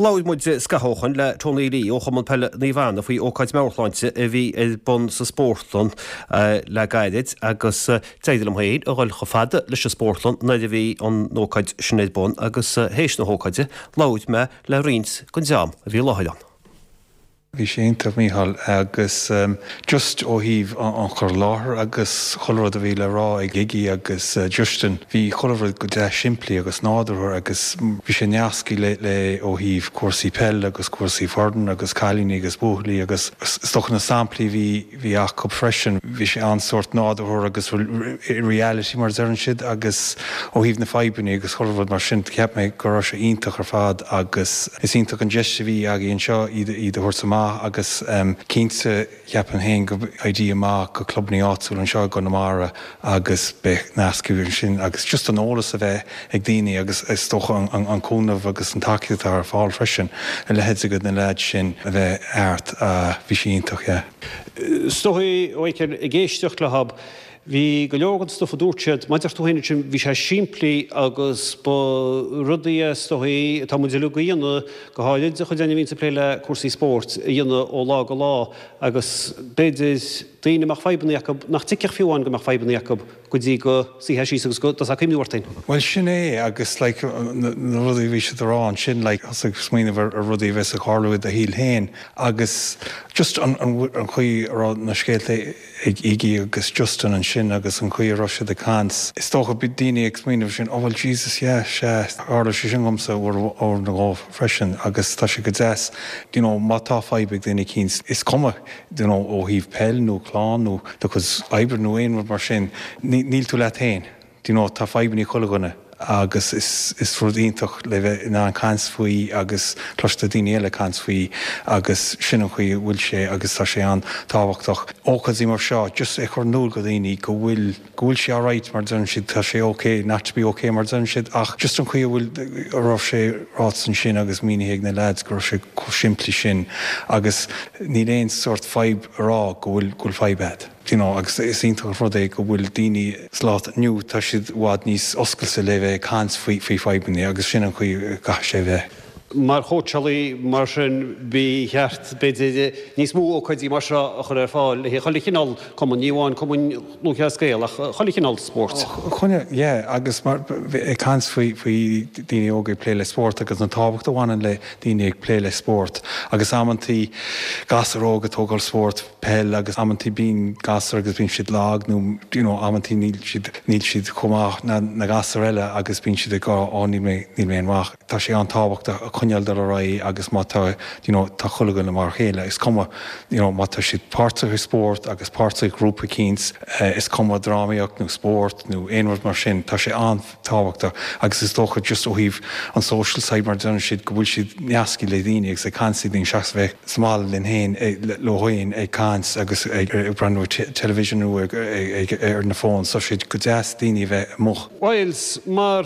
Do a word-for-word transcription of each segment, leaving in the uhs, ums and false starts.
Labhair muid scaitheamh ó shin le Tony Lee ó Chumann Peile Naomh Anna faoi ócáid meabhairshláinte a bhí ar bun sa spórtlann le gairid agus d'éirigh liom féin a dhul chomh fada leis an spórtlann nuair a bhí an ócáid sin ar bun agus théis na hócáide labhair mé le roinnt den dream a bhí i láthair ann. Bhí sé iontach Mícheál agus um, just ó thaobh an chur i láthair agus chuile rud a bhí le rá ag Iggy agus uh, Justin, bhí chuile rud go deas simplí agus nádúrtha agus bhí sé nasctha le le ó thaobh cúrsaí peile agus cúrsaí foirne agus cailíní agus buachaillí agus stoch na samplaí bhí bhí acu freisin bhí sé an-sórt nádúrtha agus reality mar a deireann siad agus ó thaobh na fadhbanna agus chuile rud mar sin cheap mé go raibh sé iontach ar fad agus is iontach an deis a bhí againn anseo iad iad a thabhairt amach agus um, cinnte cheapaim féin go idea amach go clubanna áitiúil anseo i gConamara agus beidh nascadh sin agus just an eolas a bheith ag daoine agus is dócha an, an, an cúnamh agus an tacaíocht ar fáil freisin a leithéid de na leaids sin a bheith art uh, bhí sé iontach yeah. Stoí ag éisteacht le hab, Bhí go leor an stuff a dúirt siad maidir tú féin sin bhí sé simplí agus ba rudaí is dóichí atá muid uilig a dhéanamh go háirid chuid againn a bhíonn ag plé le cúrsaí spóirt a dhéanamh ó lá go lá agus b'fhéidir daoine mbeadh fadhbanna acu nach dtuigfeadh fiú amháin go mbeadh fadhbanna acu go dtí go suífeá síos agus go dtosófá ag cuimhneamh orthu. Well sin é agus like, na rudaí bhí siad a rá sin like, ag smaoineamh ar rudaí bheith ag tarlú i do shaol féin agus just an, an, an chaoi a raibh na scéalta ag Iggy agus Justin ansin agus an chaoi a raibh siad ag caint. Is dócha bhí daoine ag smaoineamh sin oh well Jesus yeah sé tharla sé sin domsa uair nó dhó freisin agus tá sé go deas you know, má tá fadhb ag duine éicint is cuma you know, ó thaobh peil nó clann nó do chuid oibre nó aon rud mar sin níl tú leat féin. You know, tá fadhbanna chuile dhuine agus is, is rud iontach le bheith in ann caint faoi agus cloiste daoine eile caint faoi agus sin an chaoi bhfuil sé agus tá sé an-tábhachtach. Ócáidí mar seo, just é chur in iúl do dhaoine go bhfuil go bhfuil sé alright mar deireann siad tá sé okay not to be okay mar deireann siad ach just an chaoi bhfuil a raibh sé ráite ansin agus mínithe ag na lads go raibh sé chomh simplí sin agus níl aon sórt fadhb a rá go bhfuil go bhfuil fadhb agat. You know, agus is iontach rud é go bhfuil daoine sa lá inniu tá siad i bhfad níos oscailte le bheith caint faoi faoi fadhbanna agus sin an chaoi gcaithfidh sé bheith. Mar chóitseálaí mar sin ba cheart b'fhéidir níos mó ócáidí mar seo a chur ar fáil le chuile chineál cumann ní amháin cumann Lúthchleas Gael ach chuile chineál spóirt. Chune yeah, agus mar ag caint faoi faoi daoine óga ag plé le spórt agus an tábhacht a bhaineann le daoine ag plé le spórt agus amantaí gasúir óga ag tógáil spórt peil agus amantaí bíonn gasúir agus bíonn siad lag nó you know, amantaí níl siad níl siad chomh maith na, na gasúir eile agus bíonn siad ag á níl mé níl mé an-mhaith. Tá sé an-tábhachtach a choinneáil dul ar aghaidh agus má tá you know, tá chuile dhuine mar chéile is cuma you know, má tá siad páirteach i spórt agus páirteach i grúpa éicint uh, is cuma drámaíocht nó spórt nó aon rud mar sin tá sé an-tábhachtach agus is dócha just ó thaobh an social side mar deireann siad go bhfuil siad nasctha le daoine agus ag caint daoine seachas bheith sa mbaile linn féin leo féin ag caint agus ag breathnú television nó ar na fón so siad go deas daoine bheith amuigh. Wiles mar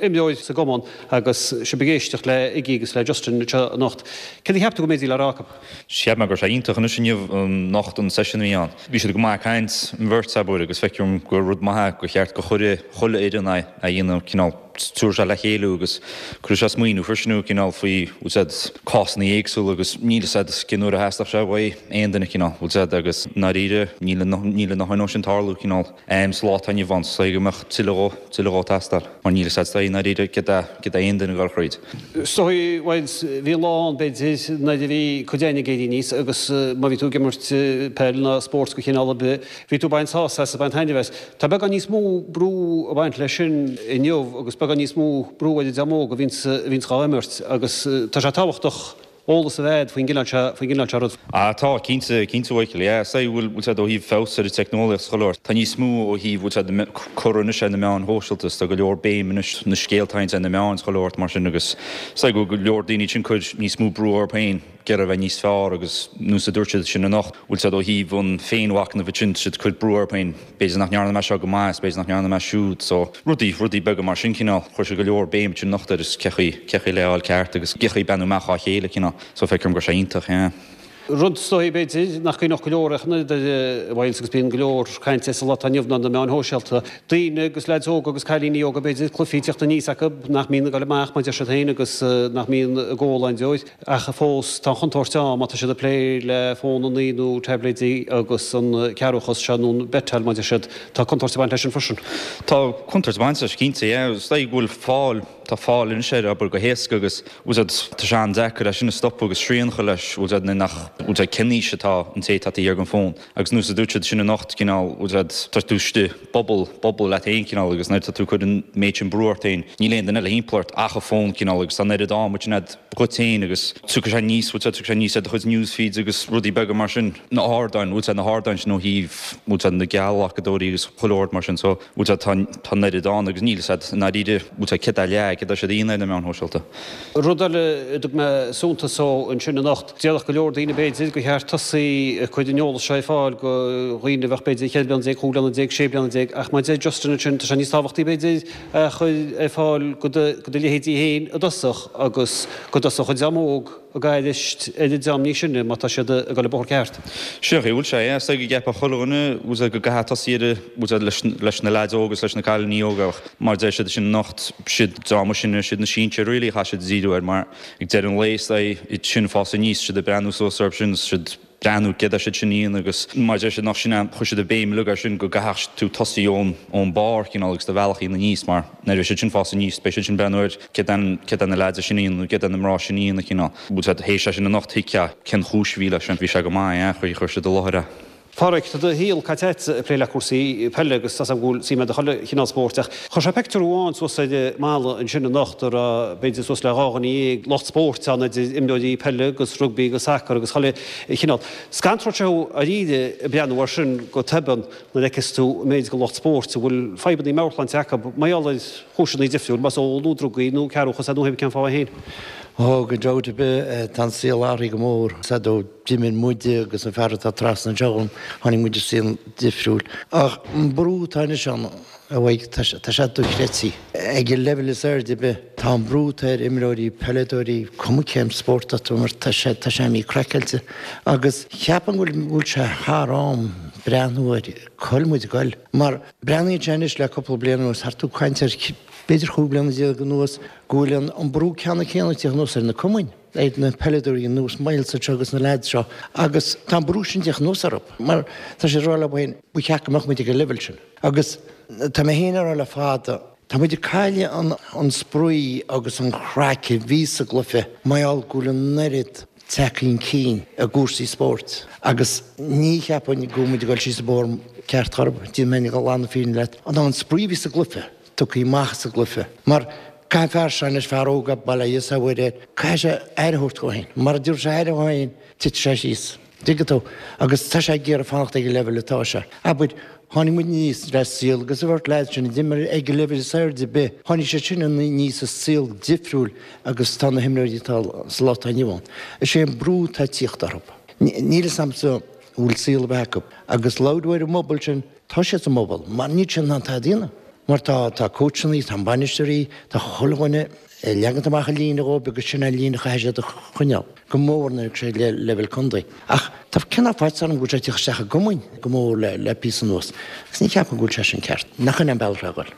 imreoir sa gcumann agus sibh ag éisteacht le Iggy agus le Justin anocht. Cé cheap tú go méidí le rácab? Cheap mé go raibh sé iontach anois inniu anocht an session bhí ann. Bhí siad go maith caint an bheirt acu agus feicim gur rud maith go cheart go chuile chuile fhoireann a dhéanamh cineál túir se le chéile agus chuir sé smaoineamh freisin cineál faoi úsáid cásanna éagsúla agus níl a fhios cén uair a theastódh sé uaidh aon duine cineál úsáid agus ndáiríre níl níl na haon sin tarlú cineál um, sa lá atá inniu ann so go mbeadh tuilleadh tuilleadh teastáil mar níl a fhios i ndáiríre cé cé aon duine gar chríd. So Wiles bhí lá ann b'fhéidir nuair a bhí cuid againn ag éirí aníos agus má bhí tú ag imirt peil ná spórt de chineál ar bith, bhí tú baint sásamh as baint taitneamh as. Tá beagán níos mó brú ag baint leis sin inniu agus beagán níos mó brú ar an dream óg a bhíonns dhá imirt agus tá sé tábhachtach eolas a bheith faoin gcineál seo faoin gcineál seo rud. Ah tá cinnte cinnte Mhichael yeah sé bhfuil bhfuil sé ó thaobh feabhas ar an teicneolaíocht cholóir. Tá níos mó ó thaobh bhfuil sé cur anois ar na meáin shóisialta tá go leor béim anois na scéalta ar na meáin cholóir mar sin agus sé go go leor daoine sin cur níos mó brú orthu féin ag iarraidh bheith níos fearr agus nós a dúirt siad sin anocht bhfuil sé ó thaobh an féinmhachnamh sin siad cur brú orthu féin b'fhéidir nach ndearna mé seo go maith b'fhéidir nach ndearna mé siúd so rudaí rudaí beaga mar sin cineál chuir sé go leor béim sin anocht ar is cechaí cechaí leáil ceart agus cechaí benú meach á chéile cineál so feicim go sé iontach yeah. Rud is dóigh b'fhéidir nach gcuimhneodh go leor ach an oiread air, Myles, agus bíonn go leor cainte sa lá atá inniu ann ar na meáin shóisialta. Daoine agus leaids óga agus cailíní óga b'fhéidir, cluichí ag teacht aníos acu nach mbíonn ag dul amach mar a deir siad féin agus nach mbíonn ag ól aon deoir. Ach fós tá an chontúirt ann má tá siad ag plé le fónannaí nó taibléidí agus an cearrbhachas seo nó an beiteáil mar a deir siad. Tá contúirt ag baint leis sin freisin. Tá contúirt ag baint leis cinnte, yeah. Is dóigh go bhfuil fáil, tá fáil anois air, abair, go héasca agus, bhfuil a fhios agat, tá sé an-deacair é sin a stopadh agus srian a chur leis, bhfuil a fhios agat, nuair nach, bhfuil a fhios agat, cén aois atá an té atá taobh thiar den fón. Agus nós a dúirt siad sin anocht, cineál, bhfuil a fhios agat, tá tú istigh i bubble, bubble leat féin cineál agus nuair atá tú ag cur an méid sin brú ort féin, níl aon duine eile thimpeall ort ach an fón cineál agus tá an oiread am sin agat dhuit féin agus tiocfaidh sé aníos, bhfuil a fhios agat, tiocfaidh sé aníos ar do chuid news feeds agus rudaí beaga mar sin, na hardáin, bhfuil a fhios agat, na hardáin sin ó thaobh, bhfuil a fhios agat, na geallghlacadóirí agus chuile shórt mar sin so, bhfuil a fhios agat, tá, tá an oiread ann agus níl a fhios agat i ndáiríre, bhfuil a fhios agat, céard é leath, céard atá siad a dhéanamh ar na meáin shóisialta. Rud eile a dtug mé suntas dó ansin anocht, déarfadh go leor daoine b'fhéidir gur cheart tosaí ag cur an eolas seo ar fáil go dhaoine a bheadh b'fhéidir cheithre bliana déag, chúig bliana déag, sé bliana déag ach mar a deir Justin ansin tá sé níos tábhachtaí b'fhéidir a chur ar fáil go do go do leithéidí féin i dtosach agus go dtosódh an dream óg ag aithris ar an dream níos sine má tá siad ag dul an bóthar ceart. Sin é an chaoi a bhfuil sé, yeah. Is dóigh go gceapfadh chuile dhuine, bhfuil a fhios agat, go gcaithfeá tosaí ar, bhfuil a fhios agat, leis, leis na leaids óga agus leis na cailíní óga ach mar a deir siad sin anocht, siad an dream is sine, siad na sinsir really a chaithfidh siad díriú air mar ag deireadh an lae is dóigh iad sin ag fás aníos, siad ag breathnú suas orthu sin, siad breathnú céard atá siad sin a dhéanamh agus mar a deir siad nach sin é, chuir siad an béim uilig air sin go gcaithfeadh tú tosaí ón ón barr cineál agus do bhealach a dhéanamh aníos mar nuair a bheidh siad sin ag fás aníos beidh siad sin ag breathnú ar céard é céard é na leaids sin a dhéanamh nó céard é na mná sin a dhéanamh cineál. Bhfuil a fhios agat théis é sin anocht thuigfeá cén chúis a bhí leis sin, bhí sé go maith, yeah, chuir chuir siad i láthair é. Páraic, tá do shaol caite agat ag plé le cúrsaí peile agus tá 's agam go bhfuil suim agat i chuile chineál spóirt ach chuir sé pictiúr amháin suas ar an mballa ansin anocht a raibh b'fhéidir suas le dhá dhuine dhéag lucht spóirt ann idir imreoirí peile agus rugbaí agus sacar agus chuile chineál. Scantródh sé thú dáiríre ag breathnú air sin go tobann nuair a fheiceas tú an méid de lucht spóirt a bhfuil fadhbanna meabhairshláinte acu mar gheall ar chúiseanna difriúil, más ól nó drugaí nó cearrbhachas é nó pé cén fáth é féin. Ó, gan dabht ar bith, tá an saol athraithe go mór. Sea, ó d'imir muide agus an fear atá trasna anseo dhom, tháinig muid i saol difriúil. Ach an brú atá anois ann, a Mhaidhc, tá sé dochreidte. Ag an leibhéal is airde ar bith, tá an brú atá ar imreoirí, peileadóirí, cuma cén spórt atá tú ag imirt, tá sé, tá sé imithe craiceáilte. Agus cheapfainn go bhfuil sé thar am breathnú ar cá bhfuil muid ag goil. Mar breathnaíonn sé anois le cúpla bliain anuas, thart tú ag caint ar b'fhéidir chúig bliana déag anuas, go bhfuil an brú ceannann céanna ag tíocht anuas ar na cumainn. ar na peileadóirí ar nós Myles anseo agus na leaids seo agus tá an brú sin ag tíocht anuas orthu mar tá siad ag rá leo féin ba cheart go mbeadh muid ag an leibhéal sin agus tá mé féin ag rá le fada tá muid ag cailleadh an an spraoi agus an chraic a bhí sa gcluiche mar gheall go bhfuil an oiread tagtha chun cinn i gcúrsaí spóirt agus ní cheapfainn go bhfuil muid ag dul síos an bóthar ceart chor ar bith, déanfaidh mé glan na fírinne leat, ná an spraoi a bhí sa gcluiche tugtha amach as an gcluiche mar Caithfidh an fear seo anois, fear óg, bail ó Dhia is ó Mhuire air, caithfidh sé aire a thabhairt dhó féin. Mara dtabharfaidh sé aire dhó féin, titfidh sé síos. Dtuigeann tú? Agus tá sé ag iarraidh fanacht ag an leibhéal atá sé. Abair, tháinig muid aníos le saol agus an bheirt leaids sin a d'imir ag an leibhéal is airde ar bith, tháinig siad sin aníos i saol difriúil agus tá na himreoirí atá sa lá atá inniu ann. Is é an brú atá ag tíocht orthu. Níl fhios agamsa an bhfuil saol ar bith acu. Agus labhair ar an mbubble sin, Tá siad sa mbubble, mar níl siad in ann tada a dhéanamh. Mar tá, tá cóitseannaí, tá bainisteoirí, tá chuile dhuine ag leagant amach an líne dhóibh agus sin an líne a chaithfidh siad a choinneáil, go mór nuair a sé le leibhéal contae. Ach tá cineál faitíos orm go bhfuil sé ag tíocht isteach i gcumainn go mór le, le píosa anuas. Agus ní cheapaim go bhfuil sé sin ceart. Nach in é an bealach le dhul.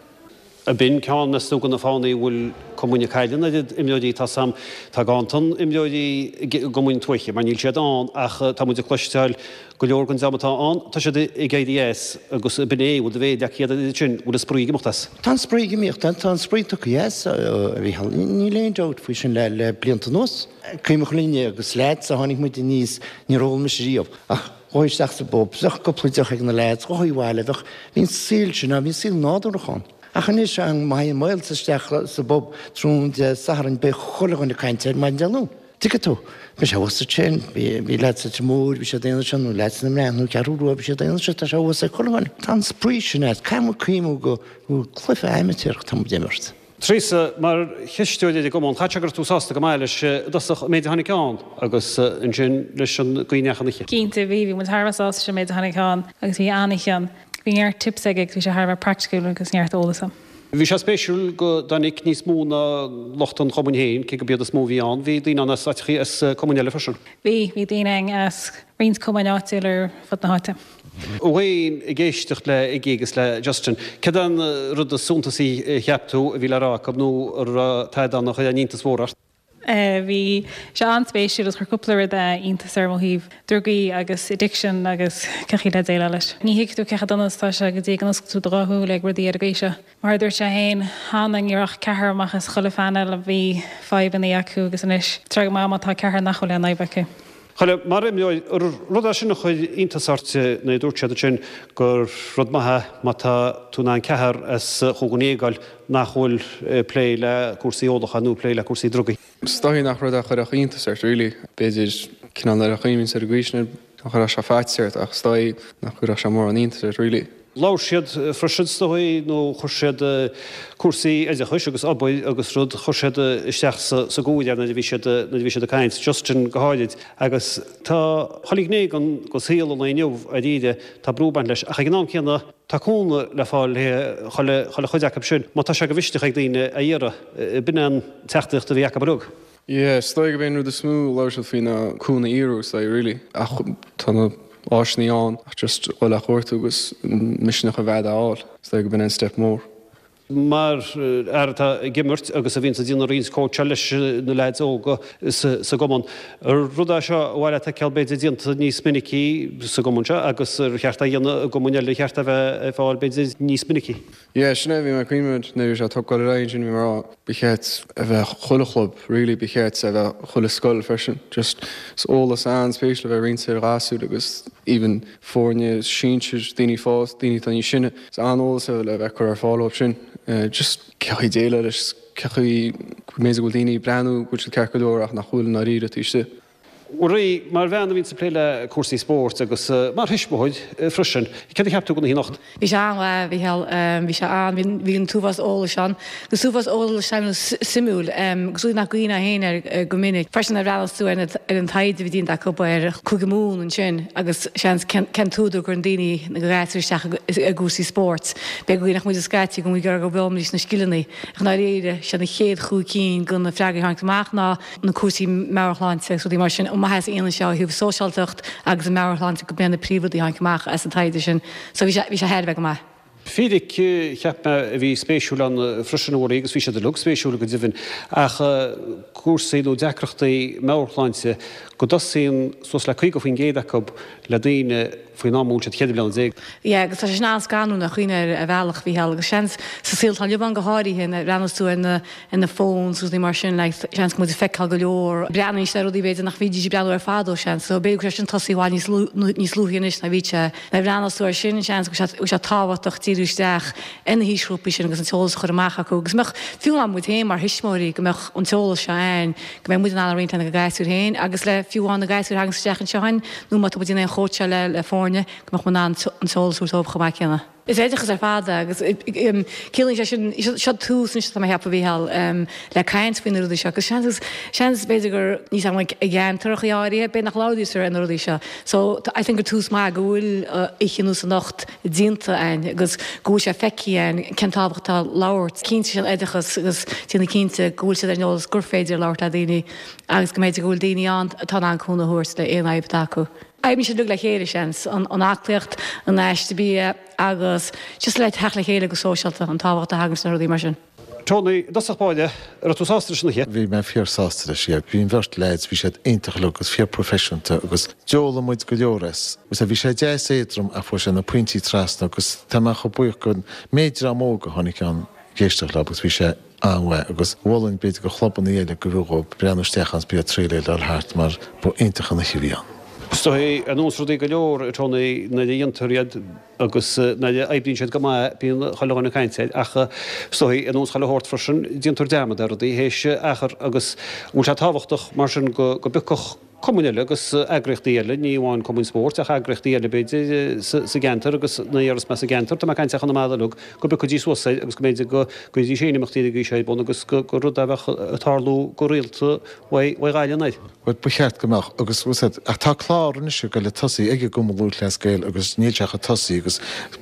Ab in ceann, meas tú, de na fáthanna a bhfuil cumainn ag cailleadh an oiread imreoirí? Tá 's a'm, tá ganntan imreoirí i gcumainn tuaithe, mar níl siad ann, ach tá muid ag cloisteáil go leor den dream atá ann, tá siad ag éirí as agus ab in é, bhfuil do mhéar leagtha agat air sin, bhfuil an spraoi ag imeacht as? Tá an spraoi ag imeacht, tá an spraoi tugtha as, a Mhícheál, níl aon dabht faoi sin le le blianta anuas. Cuimhneach linne agus leaids a tháinig muid aníos, níor ól mise riamh, ach ghabhfaí isteach sa bpub, bheadh cúpla deoch ag na leaids, ghabhfaí abhaile, bheadh, bhí an saol sin ann, bhí an saol nádúrach ann. Ach anois, má théann Myles isteach sa bpub tráthnóna Dé Sathairn beidh chuile dhuine ag caint air maidin Dé Luain. Tuigeann tú? Beidh sé thuas ansin, bhí leaids sa Leitir Móir, bhí siad ag déanamh sin, nó leaids na mBreac, nó Ceathrú Rua, bhí siad ag déanamh sin, tá sé thuas ag chuile dhuine. Tá an spraoi sin as. Caithfidh muid cuimhniú go bhfuil cluiche amaitéarach atá muid ag imirt. Teresa, mar chisteoir ar an gcumann, chaithfeadh sé go raibh tú sásta go maith leis i dtosach an méid a tháinig ann agus ansin leis an gcaoi a ndeachaigh an oíche. Cinnte, bhí, bhí muid thar a bheith sásta leis an méid a tháinig ann agus bhí an-oíche ann. Bhí neart tips aige agus bhí sé thar a bheith praiticiúil agus neart eolas ann. Bhí sé spéisiúil go dtáinig níos mó ná lucht an chumainn féin, cé gurb iad is mó a bhí ann, bhí daoine ann as áiteachaí as cumainn eile freisin. Bhí, bhí daoine ann as roinnt cumainn áitiúil ar fud na háite. Wayne, ag éisteacht le Iggy agus le Justin, céard an rud is suntasaí a cheap tú a bhí le rá acu nó a raibh tada ann a chuir iontas mhór ort? Bhí sé an-spéisiúil agus chuir cúpla rud iontas orm ó thaobh drugaí agus addiction agus cén chaoi le déileáil leis. Ní thuigfidh tú cé chomh dona is atá sé go dtí go n-osclaíonn tú do dhá shúil ag rudaí ar an gcaoi seo. Mar a dúirt sé féin, cheana ní raibh ach ceathrar amach as chuile phainéal a bhí fadhbanna acu agus anois tá go maith má tá ceathrar nach bhfuil aon fhadhb acu. Chuile, mar imreoir, rud é sin a chuir iontas ort nuair a dúirt siad ansin gur rud maith é má tá tú in ann ceathrar as chúig dhuine déag a fháil nach bhfuil ag plé le cúrsaí ólacháin nó ag plé le cúrsaí drugaí. Is dóigh nach rud a chuirfeadh iontas ort really. B'fhéidir cineál nuair a chuimhníonn ar an gcaoi sin nach gcuirfeadh sé faitíos ort ach is dóigh nach gcuirfeadh sé mórán iontais ort really. Labhair siad freisin is dóigh nó chuir siad cúrsaí oideachais agus obair agus rud, chuir siad isteach sa gcomhrá nuair a bhí siad, nuair a bhí siad ag caint, Justin go háirid. Agus tá chuile ghné den saol an lae inniu dáiríre, tá brú ag baint leis. Ach ag an am céanna tá cúnamh le fáil le chuile, chuile chuid acu sin má tá sé de mhisneach ag daoine a iarraidh. B'in an teachtaireacht a bhí acu uilig. Yeah, is dóigh gurb é an rud is mó a labhair siad faoi ná cúnamh a iarraidh, is dóigh, really. Ach tá na áiseanna ann ach just dhul á chuartú agus misneach a bheith a fháil, is dóigh gurb in an step mór. Mar fhear atá ag imirt agus a bhíonns ag déanamh roinnt cóitseáil leis na leaids óga sa gcumann, ar rud é seo ar mhaith leat a fheiceáil b'fhéidir déanta níos minicí sa gcumann seo agus ar cheart é a dhéanamh i gcumainn eile, ar cheart é a bheith ar fáil b'fhéidir níos minicí? Yeah, sin é, bhí mé ag cuimhneamh nuair a bhí sé ag tógáil ar aghaidh ansin, bhí mé ag rá, ba cheart a bheith chuile chlub, really, ba cheart a bheith chuile scoil freisin, just is eolas an-spéisiúil a bheith roinnte ar ghasúir agus even foirne sinsir, daoine fásta, daoine atá níos sine, is an-eolas é le bheith curtha ar fáil dóibh sin, just cén chaoi déileáil leis, cén chaoi go mb'fhéidir go bhfuil daoine ag breathnú go bhfuil siad ceart go leor ach nach bhfuil i ndáiríre taobh istigh. Mhuirí, mar bhean a bhíonns ag plé le cúrsaí spóirt agus mar thuismitheoir freisin, céard a cheap tú den oíche anocht? Bhí sé an-mhaith, a Mhícheáil. Bhí sé an, bhí, bhí an t-uafás eolais ann. Agus t-uafás eolais suimiúil, agus rudaí nach gcuimhneofá féin air go minic. Freisin nuair a bhreathnaíos tú ar na, ar an taighde a bhí déanta acu ar Chúige Mumhan ansin agus seans cén, cén t-údar go gcuireann daoine na gasúir isteach i gcúrsaí spóirt. B'fhéidir go nach muid scaití go bhfuil go bhfoghlaimídís na scileanna. Ach i ndáiríre, sé na chéad chúig cinn de na freagraí a tháinig amach ná na cúrsaí meabhairshláinte agus rudaí mar sin, an maitheas a dhéanann sé ó thaobh sóisialtacht agus an meabhairshláinte go mb'é na príomhrudaí a tháinig amach as an taighde sin. So bhí sé bhí sé thar a bheith go maith. Fíric, cheap mé, a bhí spéisiúil ann freisin, a Mhuirí, agus bhí siad uilig spéisiúil go deimhin, ach cúrsaí nó deacrachtaí meabhairshláinte, go dtosaíonn suas le caoga faoin gcéad acu le daoine faoin am a bhfuil siad ceithre bliana déag. Yeah, agus tá sé sin an-scanrúil nuair a chuimhníonn ar bhealach, a Mhícheáil, agus seans sa saol atá inniu ann go háirithe, nuair a bhreathnaíos tú ar na ar na phones agus rudaí mar sin, like, seans go bhfuil muid ag feiceáil go leor, breathnaíonn siad ar rudaí b'fhéidir nach mbídís ag breathnú air fadó, seans, so b'fhéidir go bhfuil sé sin tosaithe i bhfad níos níos luaithe anois ná bhí sé. Nuair a bhreathnaíos tú air sin, seans go bhfuil sé go bhfuil sé tábhachtach díriú isteach ar na haoisghrúpaí sin agus an t-eolas a chur amach acu agus go mbeadh, fiú amháin muid féin mar thuismitheoirí, go mbeadh an t-eolas seo againn, go mbeidh muid in ann a roinnt lena gasúir féin agus le fiú amháin na gasúir a thaganns isteach anseo againn nó má tá muid in aon chóitseáil le le foirne, go mbeadh muid in ann an t-eolas a thabhairt dóibh chomh maith céanna. Is oideachas ar fad é agus ciallaíonn sé sin, seo tús anois atá mé a cheapadh, a Mhícheáil, le caint faoi na rudaí seo agus seans, seans b'fhéidir gur níos am i gceantaracha áirithe, b'fhéidir nach labhraítear ar na rudaí seo. So I think gur tús maith go bhfuil oíche ar nós anocht déanta againn agus go bhfuil sé feicthe againn cén tábhacht atá labhairt. Cinnte sin oideachas agus déanamh cinnte go bhfuil siad ar an eolas gur féidir labhairt le daoine agus go mb'fhéidir go bhfuil daoine ann atá in ann cúnamh a thabhairt le aon fhadhb atá acu. Oibríonn siad uilig le chéile, seans, an aclaíocht, an aiste bia agus just le teacht le chéile go sóisialta, an tábhacht a thagann sna rudaí mar sin. Tony, i dtosach báire, an raibh tú sásta leis an oíche? Bhí mé fíor sásta leis, yeah. Bhí an bheirt leaids, bhí siad iontach uilig agus fíor professionta agus d'fhoghlaim muid go leor as. Agus bhí sé deas éadrom ach fuair sé na pointí trasna agus tá mé chomh buíoch don méid dream óg a tháinig ann ag éisteacht leo agus bhí sé an-mhaith agus mholfainn b'fhéidir do chlubanna eile go bhfiú dhóibh breathnú isteach ann is bíodh triail é dul thart mar ba iontach an oíche a bhí ann. Is dóigh, ar nós rudaí go leor, a Tony, nuair a dhéantar iad agus nuair a oibríonn siad go maith, bíonn chuile dhuine ag caint air, ach is dóigh, ar nós chuile shórt freisin, déantar dearmad ar rudaí théis achar agus an bhfuil sé tábhachtach mar sin go go bpiocfadh cumainn eile agus eagraíochtaí eile, ní amháin cumainn spóirt ach eagraíochtaí eile b'fhéidir sa gceantar agus na hiarsmaí sa gceantar, tá mé ag caint ar Chonamara uilig, go bpiocfaidís suas é agus go mb'fhéidir go gcuirfidís féin imeachtaí den gcaoi seo ar bun agus gur rud a bheadh ag tarlú go rialta uaidh Ghaillimh anoir. Bhuel, ba cheart go mbeadh agus bhfuil 's a'd, ach tá clár anois ag dul ag tosaí ag an gCumann Lúthchleas Gael agus níl sé ach ag tosaí agus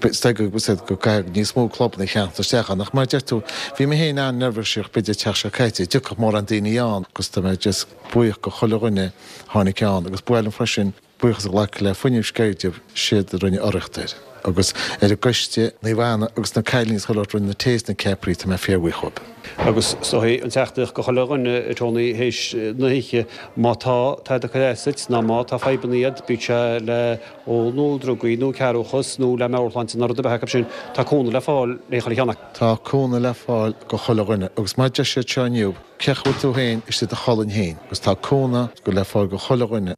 is dóigh go bhfuil 's a'd go gcaithfidh níos mó clubanna a theacht isteach ann ach mar a deir tú, bhí mé féin an-neirbhíseach b'fhéidir an tseachtain seo caite, an dtiocfadh mórán daoine ann agus tá mé just buíoch go chuile dhuine a tháinig ann agus ba mhaith liom freisin buíochas a ghlacadh le Fuinneamh Sceirde, siad a rinne urraíocht air agus ar an gcoiste, Naomh Anna agus na cailíní is chuile shórt a rinne na tae is na ceapairí, tá mé fíorbhuíoch dhóibh. Agus is dóigh an teachtaireacht go chuile dhuine, a Tony, théis na hoíche, má tá tada ag cur as duit ná má tá fadhbanna agat, bíodh sé le ól nó drugaí nó cearrbhachas nó le meabhairshláinte nó rud ar bith acu sin, tá cúnamh le fáil le chuile cheann acu. Tá cúnamh le fáil go chuile dhuine agus mar a deir siad seo inniu, cé chaoi a bhfuil tú féin istigh i do cholainn féin agus tá cúnamh le fáil go chuile dhuine.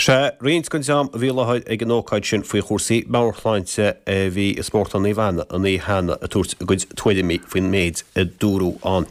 Sea, roinnt den dream a bhí i láthair ag an ócáid sin faoi chúrsaí meabhairshláinte a bhí i Spórtlann Naomh Anna an oíche cheana ag tabhairt a gcuid tuairimí faoin méid a dúradh ann.